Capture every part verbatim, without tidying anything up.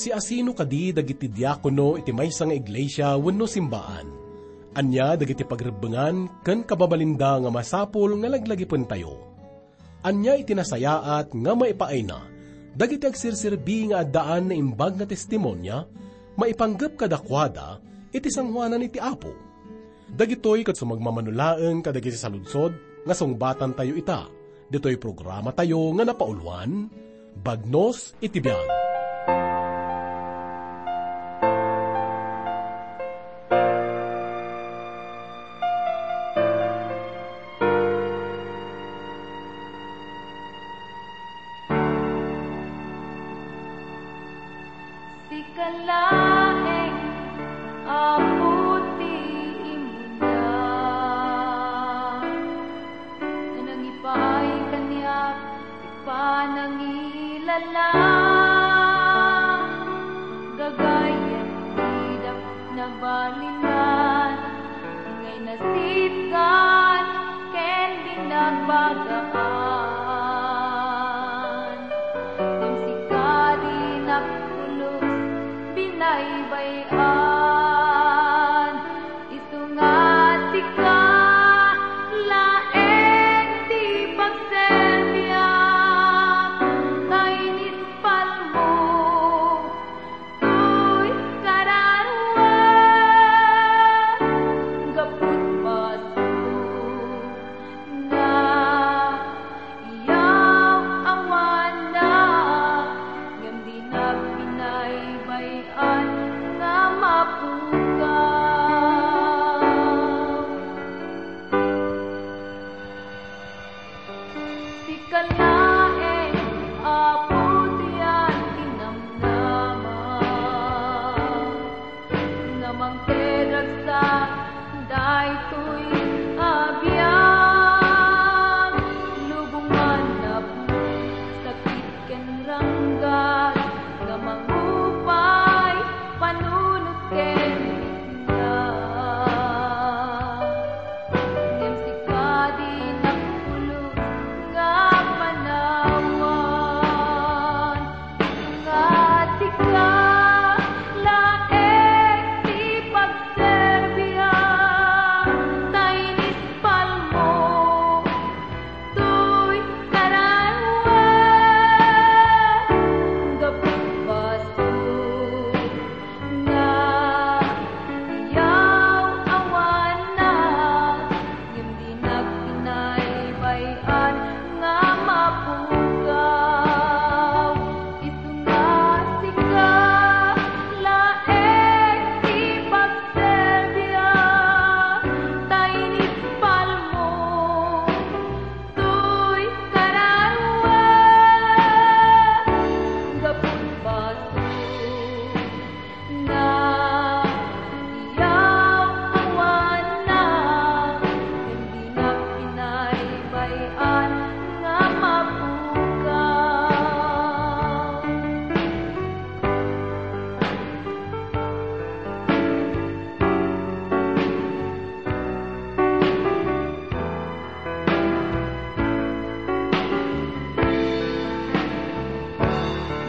Siasino kadi dagiti diakono iti maysa nga iglesia wenno simbaan? Ania dagiti pagrebbengan ken kababalinda nga masapul nga laglagipentayo? Ania iti nasayaat nga maipaayna dagiti agserserbi nga addaan naimbag nga testimonia maipanggep kadakuada iti sangoanan iti Apo? Dagitoy ket sumagmamano laeng kadagiti saludsod nga sungbatantayo ita, ditoy programatayo nga napauluan, Bagnos iti Biag. Sika laeng, Apo, ti imuna. Nanangipay kaniak ti panangilala. Gagayyem ti dapot nabalinan, ngay nasitgan ken binagbagaan. Ngem sika dinak pulos binaybay-an. Isu nga sika laeng ti pagserbiam, ta inispalmo toy kararuam, gapu ti basol nga iyaw-awanna, ngem dinak binaybay-an nga mapukaw. Sika laeng, Apo, ti antinamnama nga mangted ragsak daytoy a biag. Lubongan napno sakit ken ranggas nga mangupay panunot ken biag. Ngem sika dinak pulos nga panawan. Nga sika laeng ti pagserbiam, ta inispalmo toy kararuam, gapu ti basol nga iyaw-awanna, ngem dinak binaybay-an nga mapukaw. Isu nga sika laeng ti pagserbiam, ta inispalmo toy kararuam, gapu ti basol nga iyaw-awanna, ngem dinak binaybay-an nga mapukaw.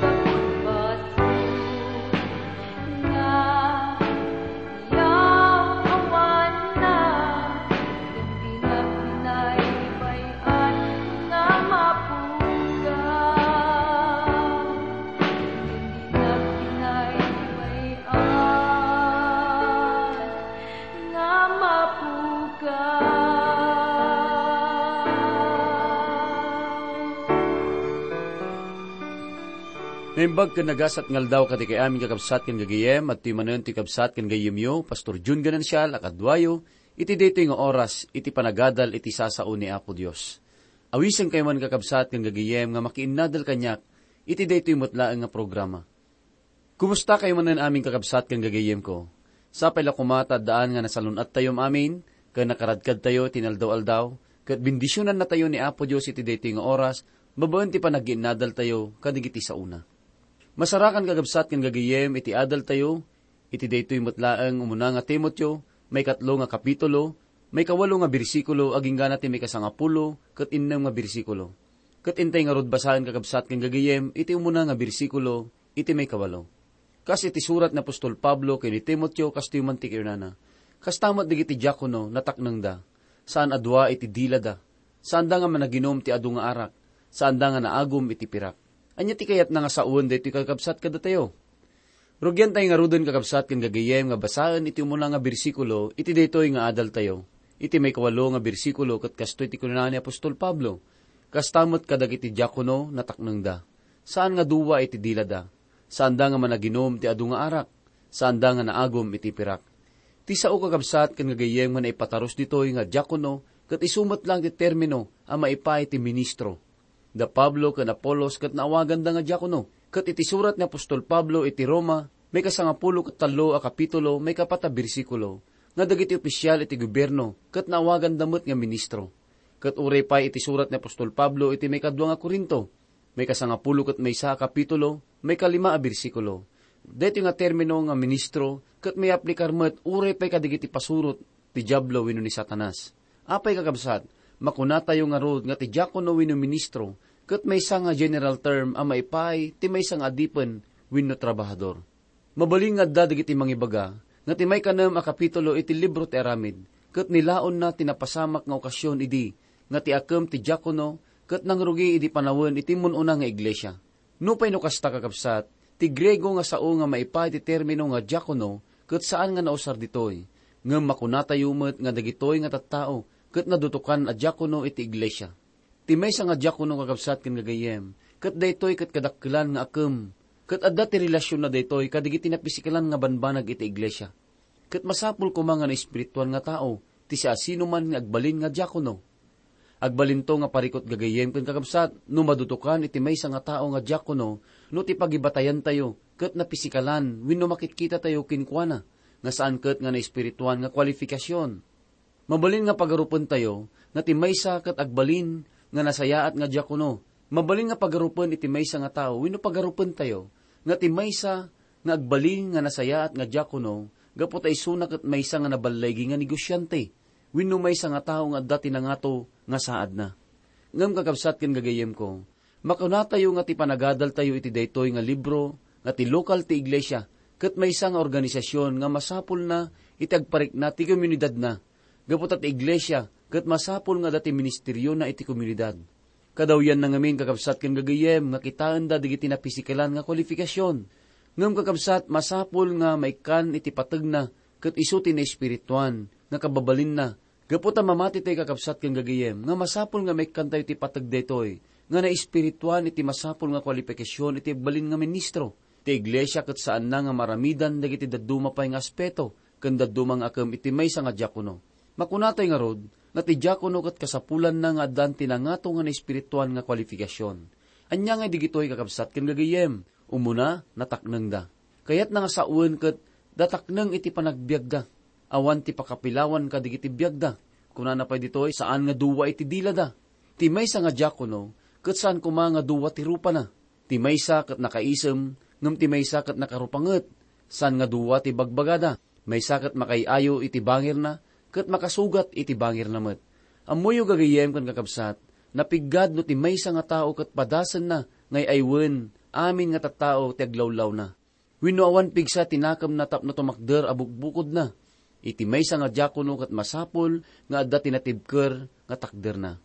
Gapu ti basol nga iyaw-awanna, ngem dinak binaybay-an nga mapukaw. Ngem dinak binaybay-an nga mapukaw. Naimbag ken nagasat nga aldaw kadagiti amin kakabsat ken gagayyem, adtoy manen ti kabsat ken gayyemyo, Pastor Jun Ganancial, a kaduayo, iti daytoy nga oras, iti panagadal iti sasao ni Apo Dios. Awisenkayo man, kakabsat ken gagayyem, nga makiinnadal kaniak iti daytoy met laeng nga programa. Kumustakayo manen amin, kakabsat ken gagayyemko? Sapay la koma ta addaan nga nasalun-attayo amin ken nakaradkadtayo iti inaldaw-aldaw, ket bendisionannatayo ni Apo Dios iti daytoy nga oras babaen ti panagginnadaltayo kadagiti saona. Masarakan, kakabsat ken gagayyem, iti adaltayo iti daytoy met laeng umuna nga Timoteo, maikatlo nga kapitulo, maikawalo nga bersikulo, agingga na ti maikasangapulo ket innem nga bersikulo. Ket intay ngarud basaen, kakabsat ken gagayyem, iti umuna nga bersikulo iti maikawalo. Kas iti surat ni apostol Pablo ken ni Timoteo, kastoy man ti kinunana, "Kasta met dagiti diakono, nataknengda. Saan a dua iti dilada. Saanda nga managinum ti adu nga arak. Saanda nga naagum iti pirak." Ania ti kayatna nga sawen daytoy, kakabsat, kadatayo? Rugiantayo ngaruden, kakabsat ken gagayyem, nga basaen iti umuna nga bersikulo iti daytoy nga adaltayo. Iti maikawalo nga bersikulo ket kastoy ti kinuna ni apostol Pablo, "Kasta met kadagiti diakono, nataknengda. Saan nga dua iti dilada. Saanda nga managinum ti adu nga arak. Saanda nga naagum iti pirak." Ti sao, kakabsat ken gagayyem, nga naipatarus ditoy nga diakono ket isu met laeng ti termino a maipaay ti ministro. Da Pablo ken Apolos ket naawaganda nga diakono. Ket iti surat ni apostol Pablo iti Roma, maikasangapulo ket tallo a kapitulo, maikapat a bersikulo, nga dagiti opisial iti gobierno ket naawaganda met nga ministro. Ket uray pay iti surat ni apostol Pablo iti maikadua nga Corinto, maikasangapulo ket maysa a kapitulo, maikalima a bersikulo, daytoy nga termino nga ministro ket maaplikar met uray pay kadagiti pasurot ti Diablo wenno ni Satanas. Apay, kakabsat, makunatayo ngarud nga ti diakono wenno ministro ket maysa nga general term a maipaay ti maysa nga adipen wenno trabahador. Mabalin nga adda dagiti mangibaga nga ti maikanem a kapitulo iti libro ti Aramid ket nilaonna ti napasamak nga okasion idi nga ti akem ti diakono ket nangrugi idi panawen iti mun-una nga iglesia. Nupay no kasta, kakabsat, ti Griego nga sao nga maipaay ti termino nga diakono ket saan nga nausar ditoy, ngem makunatayo met nga dagitoy nga tattao ket nadutokan a diakono iti iglesia. Ti maysa nga diakono, kakabsat ken gagayyem, ket daytoy ket kadakkelan nga akem, ket adda ti relasionna daytoy kadagiti napisikalan nga banbanag iti iglesia. Ket masapul koma nga naespirituan nga tao ti siasinoman nga agbalin nga diakono. Agbalinto nga parikut, gagayyem ken kakabsat, no madutokan iti maysa nga tao nga diakono no ti pagibatayantayo ket napisikalan wenno makitkitatayo kenkuana nga saan ket nga naespirituan nga kualifikasion. Mabalin nga pagarupentayo nga ti maysa ket agbalin nga nasayaat nga diakono. Mabalin nga pagarupen iti maysa nga tao wenno pagarupentayo nga ti maysa nga agbalin nga nasayaat nga diakono gapu ta isuna ket maysa nga naballigi nga negosiante wenno maysa nga tao nga adda ti nangato nga saadna. Ngem, kakabsat ken gagayyemko, makunatayo nga ti panagadaltayo iti daytoy nga libro nga ti lokal ti iglesia ket maysa nga organisasion nga masapulna iti agparikna ti komunidadna, gapu ta ti iglesia ket masapul nga adda ti ministeriona iti komunidad. Kadawyanna ngamin, kakabsat ken gagayyem, nga kitaenda dagiti napisikalan nga kualifikasion. Ngem, kakabsat, masapul nga maikkan iti pategna ket isu ti naespirituan nga kababalinna. Gapu ta mamatitayo, kakabsat ken gagayyem, nga masapul nga maikkantayo ti pateg daytoy nga naespirituan iti masapul nga kualifikasion iti agbalin nga ministro. Ti iglesia ket saanna nga maaramidan dagiti dadduma pay nga aspeto ken dadduma nga akem iti maysa nga diakono. Makunatay ngarud nga ti diakono ket kasapulanna nga addan ti nangato nga naespirituan nga kualifikasion. Ania ngay digitoy, kakabsat ken gagayyem? Umuna, nataknengda. Kayatna nga sawen ket datakneng iti panagbiagda. Awan ti pakapilawan kadagiti biagda. Kunana pay ditoy, saan nga dua iti dilada. Ti maysa nga diakono ket saan koma nga dua ti rupana. Ti maysa ket nakaisem, ngem ti maysa ket nakarupanget. Saan nga dua ti bagbagada. Maysa ket makaay-ayo iti bangirna, ket makasugat iti bangirna met. Ammoyo, gagayyem ken kakabsat, napiggad no ti maysa nga tao ket padasenna nga ay-aywen amin nga tattao ti aglawlawna. Wenno awan pigsa ti nakemna tapno tumakder a bukbukodna. Iti maysa nga diakono ket masapul nga adda ti natibker nga takderna.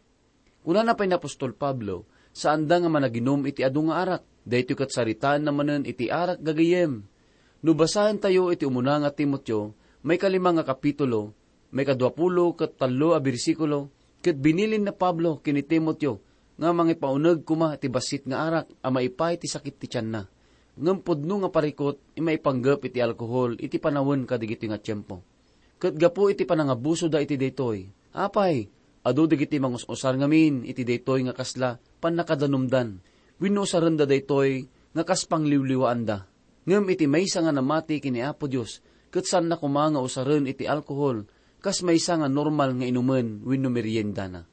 Kunana pay ni apostol Pablo, saanda nga managinum iti adu nga arak. Daytoy ket saritaenna manen iti arak, gagayyem. No basaentayo iti umuna nga Timoteo, maikalima nga kapitulo, maikaduapulo ket tallo a bersikulo, ket binilin ni Pablo ken ni Timoteo nga mangipauneg koma iti bassit nga arak a maipaay ti sakit ti tianna. Ngem pudno nga parikut, maipanggep iti alkohol iti panawen kadagitoy nga tiempo. Ket gapu iti panangabusoda iti daytoy, apay, adu dagiti mangus-usar ngamin iti daytoy nga kasla pannakadanumdan, wenno usarenda daytoy nga kas pangliwliwaanda. Ngem iti maysa nga namati ken ni Apo Dios, ket saanna koma nga usaren iti alkohol kas maysa nga normal nga inumen wenno meriendana.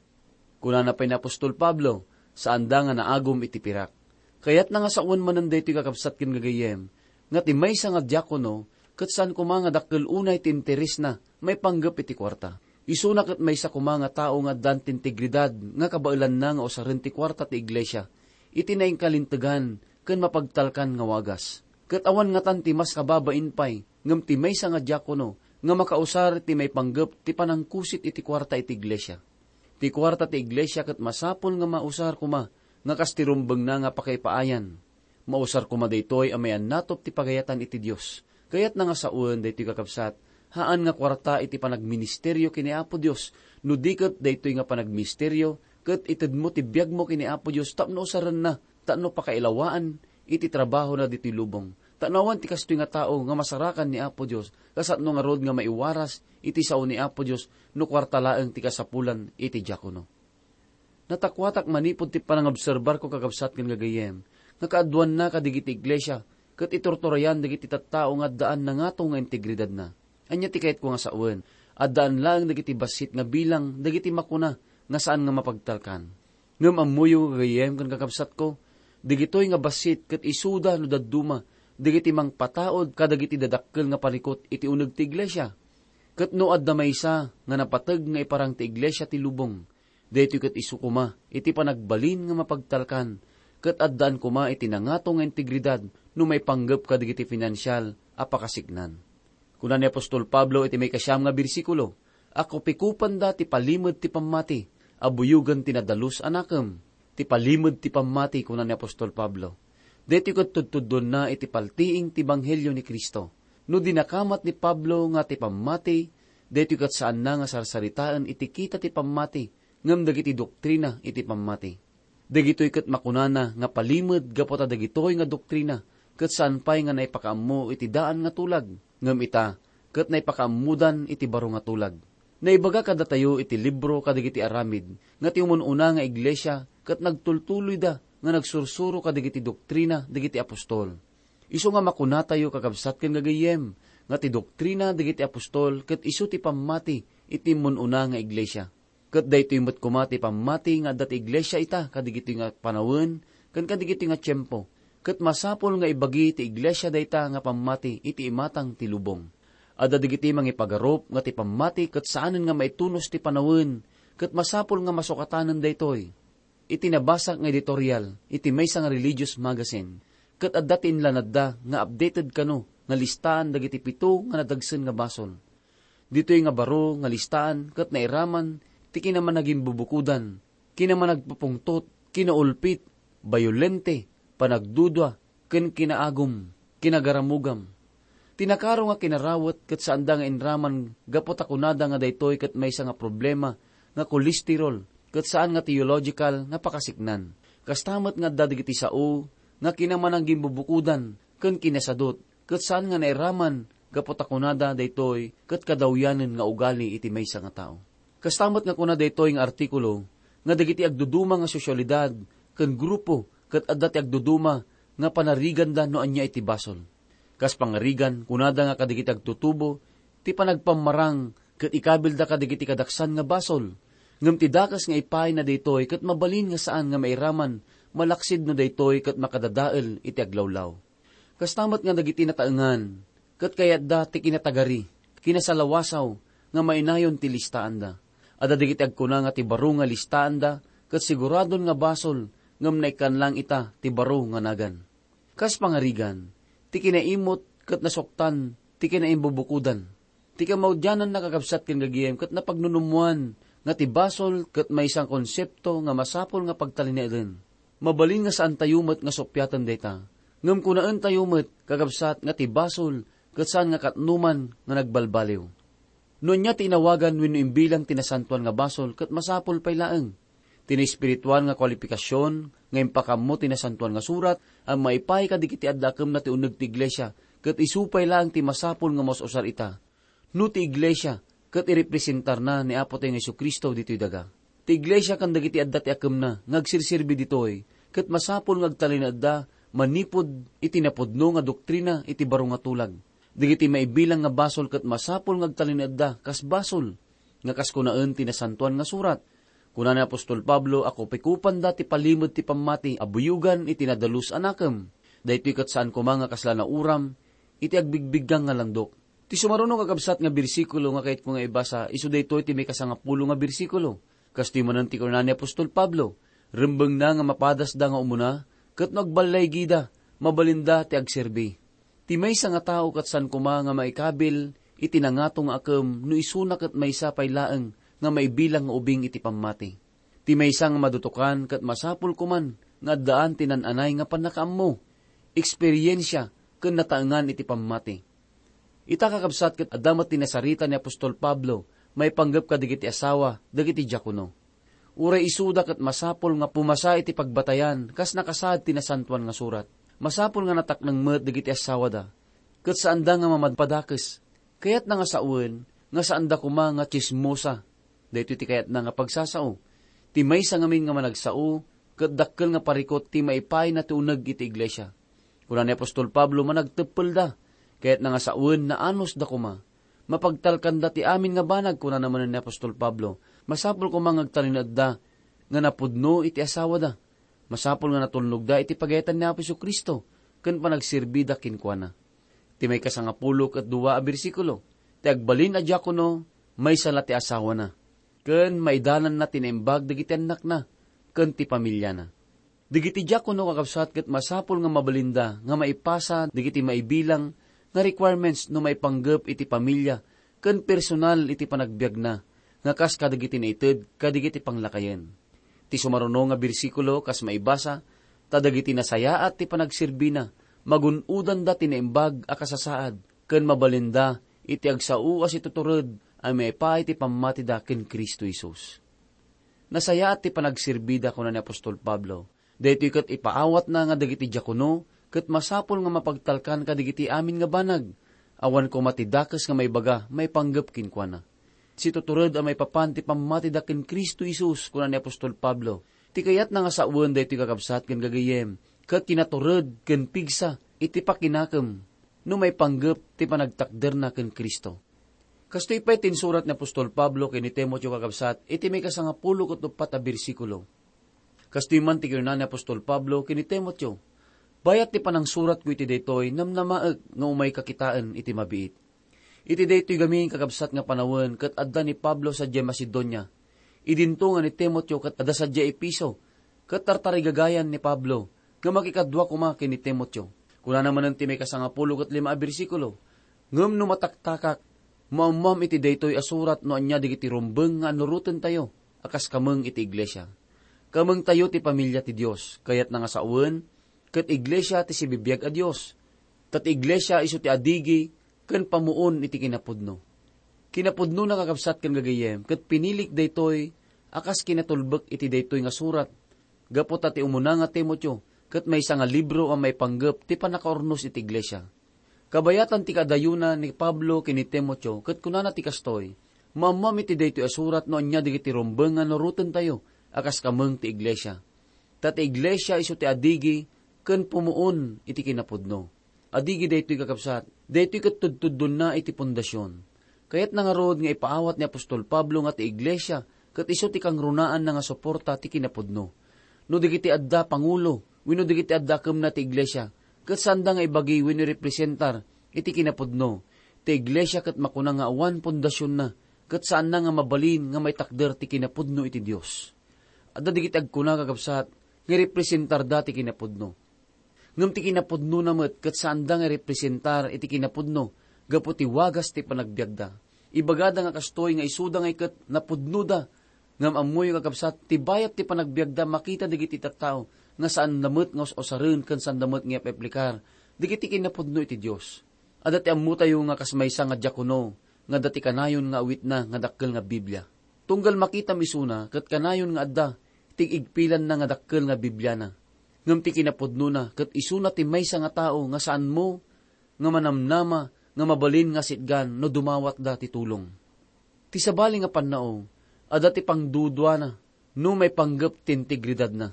Kunana pay ni apostol Pablo, saanda nga naagum iti pirak. Kayatna nga sawen manen daytoy, kakabsat ken gagayyem, nga ti maysa nga diakono ket saan koma nga dakkel unay ti interesna maipanggep iti kuarta. Isuna ket maysa koma nga tao nga addan ti integridad nga kabaelanna nga usaren ti kuarta ti iglesia iti nainkalintegan ken mapagtalkan nga wagas. Ket awan ngatan ti mas kababain pay ngem ti maysa nga diakono nga makausar ti maipanggep ti panangkusit iti kuarta iti iglesia. Ti kuarta ti iglesia ket masapul nga mausar koma nga kas ti rumbengna nga pakaipaayan. Mausar koma daytoy a mayannatop ti pagayatan iti Dios. Kayatna nga sawen daytoy, kakabsat, haan nga kuarta iti panagministerio ken ni Apo Dios, no di ket daytoy nga panagministerio ket itedmo ti biagmo ken ni Apo Dios tapno usarenna, tapno pakailawaan iti trabahona ditoy lubong. Ta no awan ti kastoy nga tao nga masarakan ni Apo Dios, kasano ngarud nga maiwaras iti sao ni Apo Dios no kuarta laeng ti kasapulan iti diakono? Natakuatak manipud ti panangobserbarko, kakabsat ken gagayyem, nga kaaduanna kadagiti iglesia ket iturturayan dagiti tattao nga addaan nangato nga integridadna. Ania ti kayatko nga sawen? Addaan laeng dagiti bassit nga bilang dagiti makuna nga saan nga mapagtalkan. Ngem ammoyo, gagayyem ken kakabsatko, dagitoy nga bassit ket isuda no dadduma dagiti mangpataud kadagiti dadakkel nga parikut iti uneg ti iglesia. Ket no adda maysa nga napateg nga iparang ti iglesia ti lubong, daytoy ket isu koma iti panagbalin nga mapagtalkan, ket addaan koma iti nangato nga integridad no maipanggep kadagiti finansial a pakasiknan. Kuna ni apostol Pablo iti maikasiam nga bersikulo, "Akupikupanda ti palimed ti pammati a buyogen ti nadalus a nakem." Ti palimed ti pammati, kuna ni apostol Pablo. Daytoy ket tudtuddonna iti paltiing ti ebanghelio ni Cristo. No dinakamat ni Pablo nga ti pammati, daytoy ket saanna nga sarsaritaen iti kita ti pammati ngem dagiti doktrina iti pammati. Dagitoy ket makunana nga palimed gapu ta dagitoy nga doktrina ket saan pay nga naipakaammo iti daan nga tulag, ngem ita ket naipakaammodan iti baro nga tulag. Naibaga kadatayo iti libro kadagiti aramid nga ti umun-una nga iglesia ket nagtultuloyda nga nagsursuro kadagiti doktrina dagiti apostol. Isu nga makunatayo, kakabsat ken gagayyem, nga ti doktrina dagiti apostol ket isu ti pammati iti immun-una nga iglesia. Ket daytoy met koma ti pammati nga adda ti iglesia ita kadigitoy nga panawen ken kadigitoy nga tiempo. Ket masapul nga ibagi ti iglesia dayta nga pammati iti imatang ti lubong. Adda dagiti mangipagarup nga ti pammati ket saanen nga maitunos ti panawen, ket masapul nga masukatanen daytoy. Iti nabasak nga editorial iti maysa nga religious magazine, ket adda ti inlanadda nga updated kano nga listaan dagiti pito nga nadagsen nga basol. Ditoy nga baro nga listaan ket nairaman ti kinamanagimbubukodan, kinamanagpupungtot, kinaulpit, bayolente, panagdudua, ken kinaagum, kinagaramugam. Ti nakaro nga kinarawet ket saanda nga inraman gapu ta kunada nga daytoy ket maysa nga problema nga kolesterol ket saan nga teological nga pakasiknan. Kasta met nga adda dagiti sao nga kinamananggimbubukodan ken kinasadut ket saan nga nairaman gapu ta kunada daytoy ket kadawyanen nga ugali iti maysa nga tao. Kasta met nga kuna daytoy nga artikulo nga dagiti agduduma nga sosyalidad ken grupo ket adda ti agduduma nga panariganda no ania iti basol. Kas pangarigan, kunada nga kadagiti agtutubo ti panagpammarang ket ikabilda kadagiti kadaksan nga basol. Ngem ti dakes nga ipaayna daytoy ket mabalin nga saan nga mairaman malaksid no daytoy ket makadadael iti aglawlaw. Kasta met nga dagiti nataengan, ket kayatda ti kinatagari, kinasalawasaw nga mainayon ti listaanda. Adda dagiti agkuna nga ti baro nga listaanda ket siguradon nga basol ngem naikkan lang ita ti baro nga nagan. Kas pangarigan, ti kinaimut ket nasuktan ti kinaimbubukodan. Ti kamaudiananna, kakabsat ken gagayem, ket napagnunummoan nga ti basol ket maysa nga konsepto nga masapul nga pagtalinaeden. Mabalin nga saantayo met nga suppiaten dayta. Ngem kunaentayo met, kakabsat, nga ti basol ket saan nga katnoman nga nagbalbaliw. No ania ti inawagan wenno imbilang ti nasantoan nga basol ket masapul pay laeng. Ti naespirituan nga kualipikasion nga impakaammo ti Nasantoan nga Surat a maipaay kadagiti adda akemna ti uneg ti iglesia, ket isu pay laeng ti masapul nga maus-usar ita. No ti iglesia ket irepresentarna ni Apotayo nga Jesu-Cristo ditoy daga. Ti iglesia ken dagiti adda ti akemna nga agserserbi ditoy, ket masapul nga agtalinaedda manipud iti napudno nga doktrina iti baro nga tulag. Dagiti maibilang nga basol ket masapul nga agtalinaedda kas basol, nga kas kunaen ti Nasantoan nga Surat. Kuna ni apostol Pablo a kupikupanda ti palimed ti pammati a buyogan iti nadalus a nakem. Daytoy ket saan koma nga kasla nauram iti agbigbiggang nga landok. Ti sumaruno, kakabsat, nga bersikulo nga kayatko nga ibasa, isu daytoy ti maikasangapulo nga bersikulo. Kastoy manen ti kuna ni apostol Pablo, rembengna nga mapadasda nga umuna, ket no agballaygida, mabalinda ti agserbi. Ti maysa nga tao ket saan koma nga maikabil iti nangato nga akem no isuna ket maysa pay laeng nga maibilang nga ubing iti pammati. Ti maysa nga madutokan ket masapul koman nga addaan ti nan-anay nga pannakaammo, eksperiensia, ken nataengan iti pammati. Ita, kakabsat, ket adda met ti nasarita ni apostol Pablo maipanggep kadagiti asawa dagiti diakono. Uray isuda ket masapul nga pumasa iti pagbatayan kas nakasaad ti Nasantoan nga Surat. Masapul nga natakneng met dagiti asawada, ket saanda nga mamadpadakes. Kayatna nga sawen nga saanda koma nga tsismosa. Daytoy ti kayatna nga pagsasao. Ti maysa ngamin nga managsao ket dakkel nga parikut ti maipaayna ti uneg iti iglesia. Kuna ni apostol Pablo, managteppelda. Kayatna nga sawen, naanusda koma. Mapagtalkanda ti amin nga banag, kunana manen ni apostol Pablo. Masapul koma nga agtalinaedda nga napudno iti asawada. Masapul nga natulnogda iti pagayatan ni Apo Jesu-Cristo ken panagserbida kenkuana. Ti maikasangapulo ket dua a bersikulo, ti agbalin a diakono, maysa la ti asawana, ken maidalanna ti naimbag dagiti annakna ken ti pamiliana. Dagiti diakono, kakabsat, ket masapul nga mabalinda nga maipasa dagiti maibilang nga requirements no maipanggep iti pamilia ken personal iti panagbiagna nga kas kadagiti naited kadagiti panglakayen. Ti sumaruno nga bersikulo kas maibasa, ta dagiti nasayaat ti panagserbina, magun-odanda ti naimbag a kasasaad, ken mabalinda iti agsao a situtured a maipaay ti pammatida ken Cristo Jesus. Nasayaat ti panagserbida, kuna ni apostol Pablo. Daytoy ket ipaawatna nga dagiti diakono ket masapul nga mapagtalkan kadagiti amin nga banag. Awan koma ti dakes nga maibaga maipanggep kenkuana. Situtured a maipapan ti pammatida ken Cristo Jesus, kuna ni apostol Pablo. Ti kayatna nga sawen daytoy, kakabsat ken gagayyem, ket kinatured ken pigsa iti pakinakem no maipanggep ti panagtakderna ken Cristo. Kastoy pay ti insurat ni apostol Pablo ken ni Timoteo, kakabsat, iti maikasangapulo ket uppat a bersikulo. Kastoy man ti kinuna ni apostol Pablo ken ni Timoteo, "Bayat ti panangsuratko iti daytoy, namnamaek nga umayka kitaen iti mabiit." Iti daytoy gamin, kakabsat, nga panawen ket adda ni Pablo sadiay Macedonia. Idinto nga ni Timoteo ket adda sadiay Efeso, ket tartarigagayan ni Pablo nga makikadua koma ken ni Timoteo. Kunana manen ti maikasangapulo ket lima a bersikulo, "Ngem no mataktakak, maammoam iti daytoy a surat no ania dagiti rumbeng nga annurotentayo a kas kameng iti iglesia. Kamengtayo ti pamilia ti Dios, kayatna nga sawen, ket iglesia ti sibibiag a Dios. Ta ti iglesia isu ti adigi ken pamuon iti kinapudno." Kinapudnona, kakabsat ken gagayyem, ket pinilik daytoy a kas kinatulbek iti daytoy nga surat, gapu ta ti umuna nga Timoteo ket maysa nga libro a maipanggep ti pannakaurnos iti iglesia. Kabayatan ti kadayona ni Pablo ken ni Timoteo ket kunana ti kastoy, "Maammoam iti daytoy a surat no ania dagiti rumbeng nga annurotentayo a kas kameng ti iglesia. Ta ti iglesia isu ti adigi ken pumuon iti kinapudno." Adigi daytoy, kakabsat, daytoy ket tudtuddonna iti pundasion. Kayatna ngarud nga ipaawat ni apostol Pablo nga ti iglesia ket isu ti kangrunaanna nga suporta ti kinapudno. No dagiti adda pangulo wenno dagiti adda kemna ti iglesia, ket saanda nga ibagi wenno irepresentar iti kinapudno, ti iglesia ket makuna nga awan pundasionna, ket saanna nga mabalin nga maitakder ti kinapudno iti Dios. Adda dagiti agkuna, kakabsat, nga irepresentarda ti kinapudno. Ngem ti kinapudnona met ket saanda nga irepresentar iti kinapudno gapu ti wagas ti panagbiagda. Ibagada nga kastoy nga isuda ngay ket napudnoda. Ngem ammoyo, kakabsat, ti bayat ti panagbiagda makita dagiti tattao nga saanda met nga us-usaren ken saanda met nga ipaplikar dagiti kinapudno iti Dios. Adda ti ammotayo nga kas maysa nga diakono nga adda ti kanayon nga awitna nga dakkel nga Biblia. Tunggal makitam isuna ket kanayon nga adda ti igpilanna nga dakkel nga Bibliana. Ngem ti kinapudnona ket isuna ti maysa nga tao nga saanmo nga manamnama nga mabalin nga sitgan no dumawatda ti tulong. Ti sabali nga pannao, adda ti pangduduana no maipanggep ti integridadna.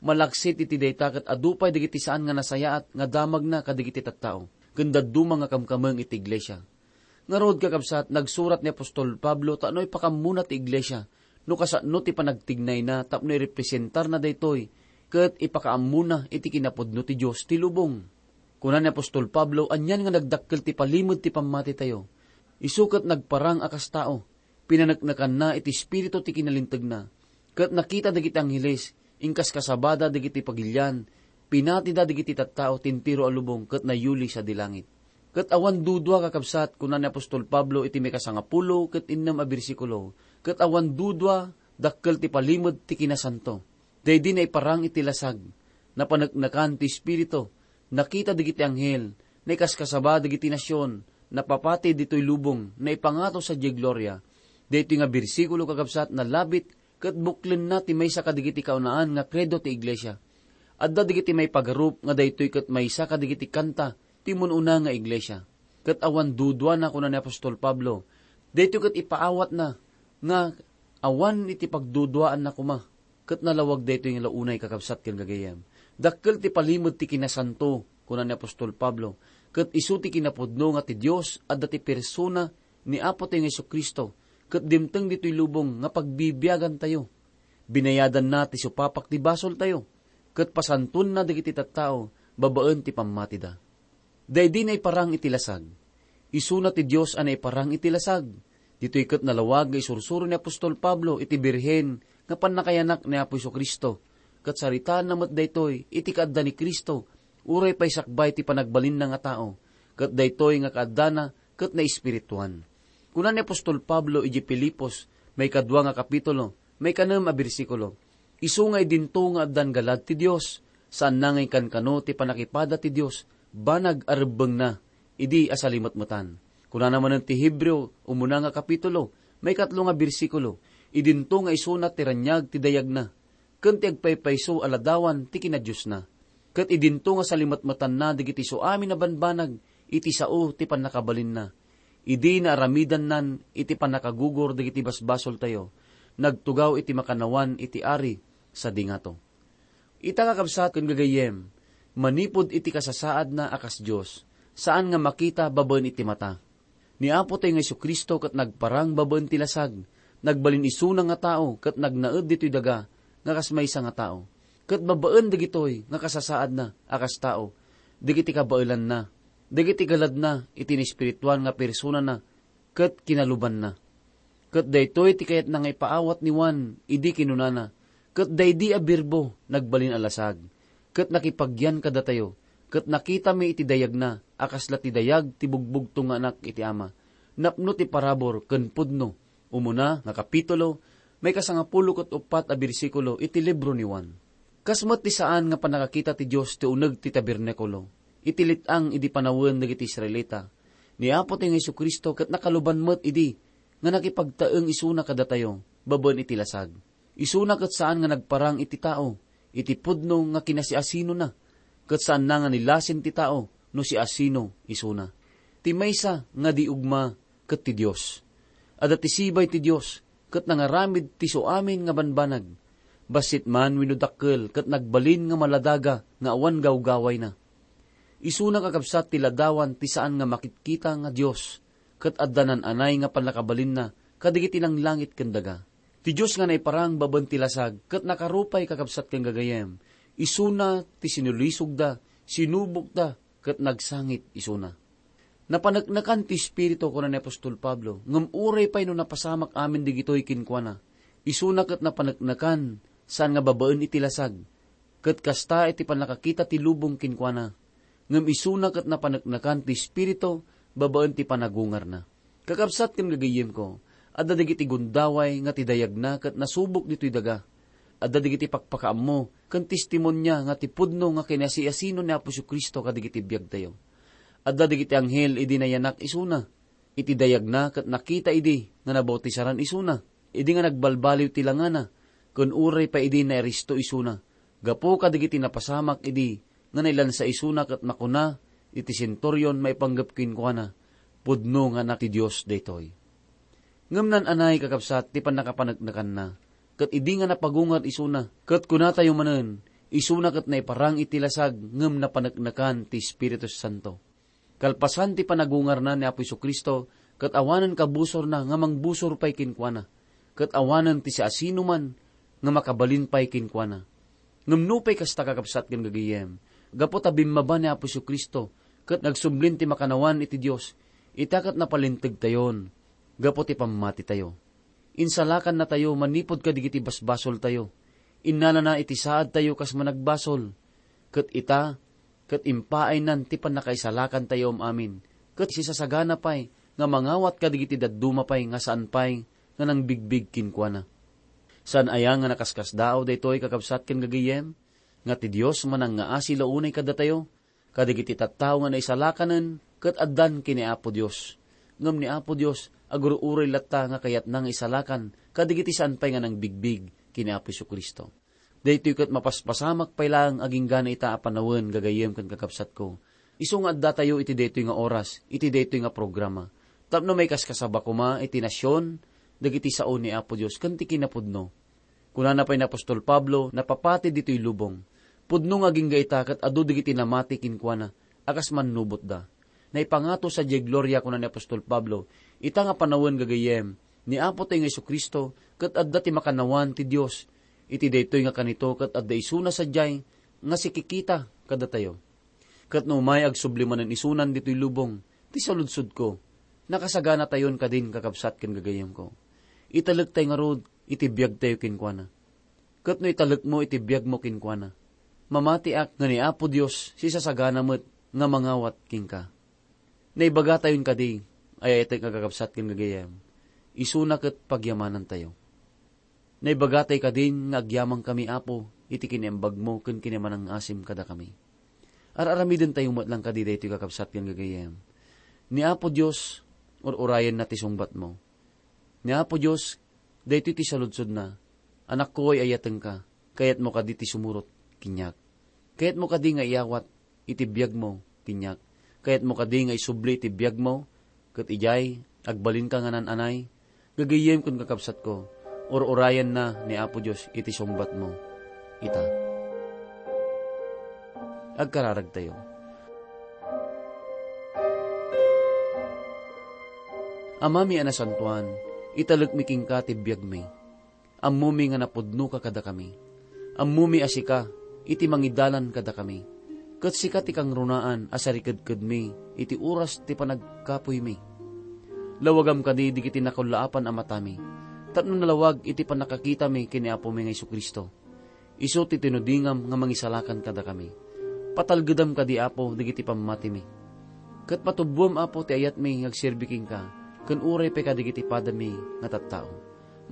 Malaksid iti dayta ket adu pay dagiti saan nga nasayaat nga damagna kadagiti tattao, ken dadduma nga kamkameng iti iglesia. Ngarud, kakabsat, nagsurat ni apostol Pablo tapno ipakammona ti iglesia no kasano ti panagtignayna tapno irepresentarna daytoy ket ipakaammona iti kinapudno ti Dios ti lubong. Kuna ni apostol Pablo, anian nga nagdakkel ti palimed ti pammatitayo. Isu ket nagparang a kas tao, pinaneknekanna iti espiritu ti kinalintegna, ket nakita dagiti angheles, inkaskasabada dagiti pagilian, pinatida dagiti tattao ti entero a lubong ket nayuli sadi langit. Ket awan dudua, kakabsat, kuna ni apostol Pablo iti maikasangapulo ket innem a bersikulo, ket awan dudua, dakkel ti palimed ti kinasanto. Daydi naiparang iti lasag, napaneknekan ti Espiritu, nakita dagiti anghel, naikaskasaba dagiti nasion, napapati ditoy lubong, naipangato sadiay gloria. Daytoy nga bersikulo, kakabsat, nalabit ket buklenna ti maysa kadagiti kaunaan nga kredo ti iglesia. Adda dagiti maipagarup nga daytoy ket maysa kadagiti kanta ti mun-una nga iglesia. Ket awan duduana, kuna ni apostol Pablo. Daytoy ket ipaawatna nga awan iti pagduduaanna koma. Ket nalawag daytoy nga launay, kakabsat ken gagayem. Dakkel ti palimed ti kinasanto, kuna ni apostol Pablo, ket isu ti kinapudno nga ti Dios adda ti persona ni Apotayo nga Jesu-Cristo, ket dimteng ditoy lubong nga pagbibiagantayo. Binayadanna ti supapak ti basoltayo, ket pasantoanna dagiti tattao babaen ti pammatida. Daydi naiparang iti lasag. Isuna ti Dios a naiparang iti lasag. Ditoy ket nalawag nga isursuro ni apostol Pablo iti birhen nga pannakayanak ni Apo Jesu-Cristo, ket saritaanna met daytoy iti kaadda ni Cristo, uray pay sakbay ti panagbalinna nga tao, ket daytoy nga kaaddana ket naespirituan. Kuna ni apostol Pablo idiay Filipos, maikadua nga kapitulo, maikanem a bersikulo, isu nga idinto nga addan galad ti Dios, saanna nga inkankano ti pannakipada ti Dios, banag a rebbengna idi a salimetmetan. Kunana manen ti Hebreo, umuna nga kapitulo, maikatlo nga bersikulo, idinto nga isuna ti raniag ti dayagna, ken ti agpaypayso a ladawan ti kinadiosna. Ket idinto nga salimetmetanna dagiti suamin a banbanag iti sao ti pannakabalinna. Idi naaramidannan iti pannakagugor dagiti basbasoltayo, nagtugaw iti makannawan iti Ari sadi ngato. Ita, kakabsat ken gagayyem, manipud iti kasasaadna a kas Dios, saan nga makita babaen iti mata. Ni Apotayo nga Jesu-Cristo ket nagparang babaen ti lasag, nagbalin isuna nga tao ket nagnaed ditoy daga nga kas maysa nga tao. Ket babaen dagitoy nga kasasaadna a kas tao, dagiti kabaelanna, dagiti galadna iti naespirituan nga personana ket kinalubanna. Ket daytoy ti kayatna nga ipaawat ni Juan idi kinunana, "Ket daydi a Birbo nagbalin a lasag, ket nakipagyan kadatayo, ket nakitami iti dayagna a kasla ti dayag ti bugbugtong nga Anak iti Ama, napno ti parabur ken pudno." Umuna nga kapitulo, maikasangapulo ket uppat a bersikulo iti libro ni Juan. Kas met ti saan nga pannakakita ti Dios ti uneg ti tabernakulo, iti let-ang idi panawen dagiti Israelita. Ni Apotayo nga Jesu-Cristo ket nakaluban met idi nga nakipagtaeng isuna kadatayo babaen iti lasag. Isuna ket saan nga nagparang iti tao iti pudno nga kinasiasinona, ket saanna nga nilasin ti tao no siasino isuna. Ti maysa nga di ugma ket ti Dios. Adda ti sibay ti Dios ket nangaramid ti suamin nga banbanag. Bassit man wenno dakkel ket nagbalin nga maladaga nga awan gawgawayna. Isuna, kakabsat, ti ladawan ti saan nga makitkita nga Dios, ket adda naan-anay nga pannakabalinna kadagiti langlangit ken daga. Ti Dios nga naiparang babaen ti lasag ket nakarupay, kakabsat ken gagayem. Isuna ti sinulisogda, sinubokda, ket nagsangit isuna. Napaneknekan ti Espiritu, kuna ni apostol Pablo, ngem uray pay no napasamak amin dagitoy kenkuana. Isuna ket napaneknekan, saan nga babaen iti lasag. Ket kasta iti pannakakita ti lubong kenkuana. Ngem isuna ket napaneknekan ti Espiritu babaen ti panagungarna. Kakabsat ken gagayyemko, adda dagiti gundaway nga ti dayagna ket nasubok ditoy daga. Adda dagiti pakpakaammo ken testimonia nga ti pudno nga kinasiasino ni Apo Jesu-Cristo kadagiti biagtayo. Adda dagiti anghel idi nayanak isuna. Iti dayagna ket nakita idi nga nabautisaran isuna, idi nga nagbalbaliw ti langana, ken uray pay idi nairisto isuna, gapu kadagiti napasamak idi nga nailansa isuna ket makuna iti senturyon maipanggep kenkuana, "Pudno nga Anak ti Dios daytoy." Ngem naan-anay, kakabsat, ti pannakapaneknekanna, ket idi nga napagungar isuna, ket kunatayo manen, isuna ket naiparang iti lasag ngem napaneknekan ti Espiritu Santo. Kalpasan ti panagungarna ni Apo Jesu-Cristo, ket awanen kabusorna nga mangbusor pay kenkuana, ket awanen ti siasinoman nga makabalin pay kenkuana. Ngem nupay kasta, kakabsat ken gagayyem, gapu ta bimmaba ni Apo Jesu-Cristo ket nagsublin ti makannawan iti Dios, ita ket napalintegtayon gapu ti pammatitayo. Insalakannatayo manipud kadagiti basbasoltayo. Innalana iti saadtayo kas managbasol. Ket ita, ket impaaynan ti pannakaisalakantayo am-amin ket sisasagana pay nga mangawat kadagiti dadduma pay nga saan pay nga nangbigbig kenkuana. Saan aya nga nakaskasdaaw daytoy, kakabsat ken gagayyem, nga ti Dios manangngaasi la unay kadatayo, kadagiti tattao nga naisalakanen ket addan ken ni Apo Dios. Ngem ni Apo Dios agur-uray latta nga kayatna nga isalakan kadagiti saan pay nga nangbigbig ken ni Apo Jesu-Cristo. Daytoy ket mapaspasamak pay laeng agingga ita a panawen, gagayyem ken kakabsatko. Isu nga addatayo iti daytoy nga oras, iti daytoy nga programa, tapno maikaskasaba koma iti nasion dagiti sao ni Apo Dios ken ti kinapudno. Kunana pay ni apostol Pablo, napapati ditoy lubong, "Pudno nga agingga ita ket adu dagiti namati kenkuana a kas mannubotda." Naipangato sadiay gloria, kuna ni apostol Pablo, ita nga panawen, gagayyem, ni Apotayo nga Jesu-Cristo ket adda ti makannawan ti Dios. Iti daytoy nga kanito ket adda isuna sadiay nga sikikita kadatayo. Ket no umay agsubli manen isunan ditoy lubong ti saludsodko, nakasaganatayon kadin, kakabsat ken gagayyemko. Italektayo ngarud iti biagtayo kenkuana. Ket no italekmo iti biagmo kenkuana, mamatiak nga ni Apo Dios sisasagana met nga mangawat kenka. Naibagatayon kadi, ay-ayatek nga kakabsat ken gagayyem, isuna ket pagyamanantayo. Naibagatayo kadin nga agyamankami, Apo, iti kinaimbagmo ken kinamanangngasim kadakami. Ar-aramidentayo met lang kadi daytoy, kakabsat ken gagayyem. Ni Apo Dios, ur-urayenna ti sungbatmo. Ni Apo Dios, daytoy ti saludsodna, "Anakko, ay-ayatenka, kayatmo kadi ti sumurot kaniak? Kayatmo kadi nga iyawat iti biagmo kaniak? Kayatmo kadi nga isubli iti biagmo, ket idiay agbalinka nga naan-anay?" Gagayyem ken kakabsatko, ur-urayenna ni Apo Dios iti sungbatmo ita. Agkararagtayo. Amami a nasantoan, italekmi kenka ti biagmi. Ammomi nga napudnoka kadakami. Ammomi a sika iti mangidalan kadakami, ket sika ti kangrunaan a sarikedkedmi iti oras ti panagkapuymi. Lawagam kadi dagiti nakullaapan a matami, tapno nalawag iti pannakakitami ken ni Apomi nga Jesu-Cristo. Isu ti tinudingam nga mangisalakan kadakami. Patalgedam kadi, Apo, dagiti pammatimi. Ket patubboem, Apo, ti ayatmi nga agserbi kenka, ken uray pay kadagiti padami nga tattao.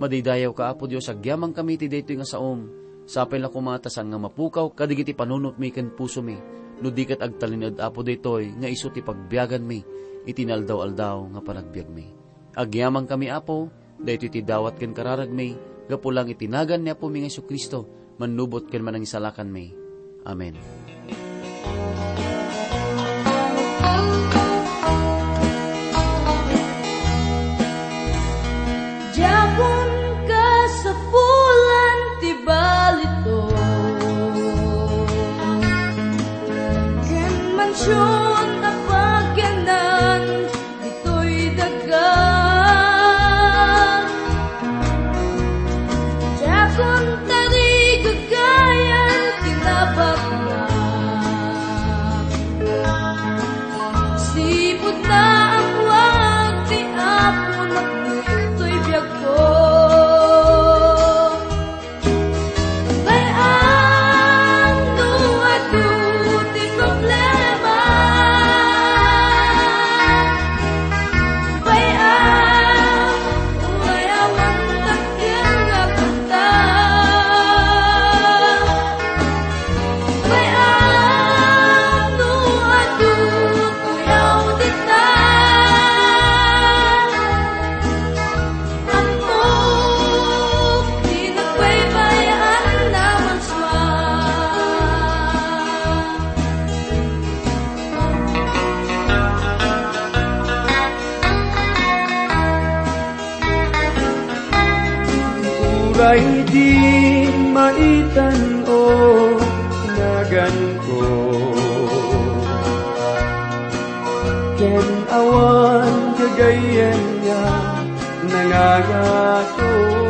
Madaydayawka, Apo Dios, agyamankami iti daytoy nga saom. Sapay la koma ta saan nga mapukaw kadagiti panunotmi ken pusomi, no di ket agtalinaed, Apo, daytoy nga isu ti pagbiaganmi iti naaldaw-aldaw nga panagbiagmi. Agyamankami, Apo, daytoy ti dawat ken kararagmi, gapu lang iti nagan ni Apomi nga Jesu-Cristo, mannubot ken manangisalakanmi. Amen. Diakon kasapulan ti balito, ken mansion a pagyanan ditoy daga. Diakon tarigagayan ti nabaknang. Sipud naawag ti Apo, napnoy toy biagko. Bay-am no adu ti problema. Bay-am, uray awan takken nga kanta. Bay-am no adu toy audita. Ammok ti nagbaybay-an a mansua. Uray di maitan-o naganko, ken awan gagayyem nga nangangato.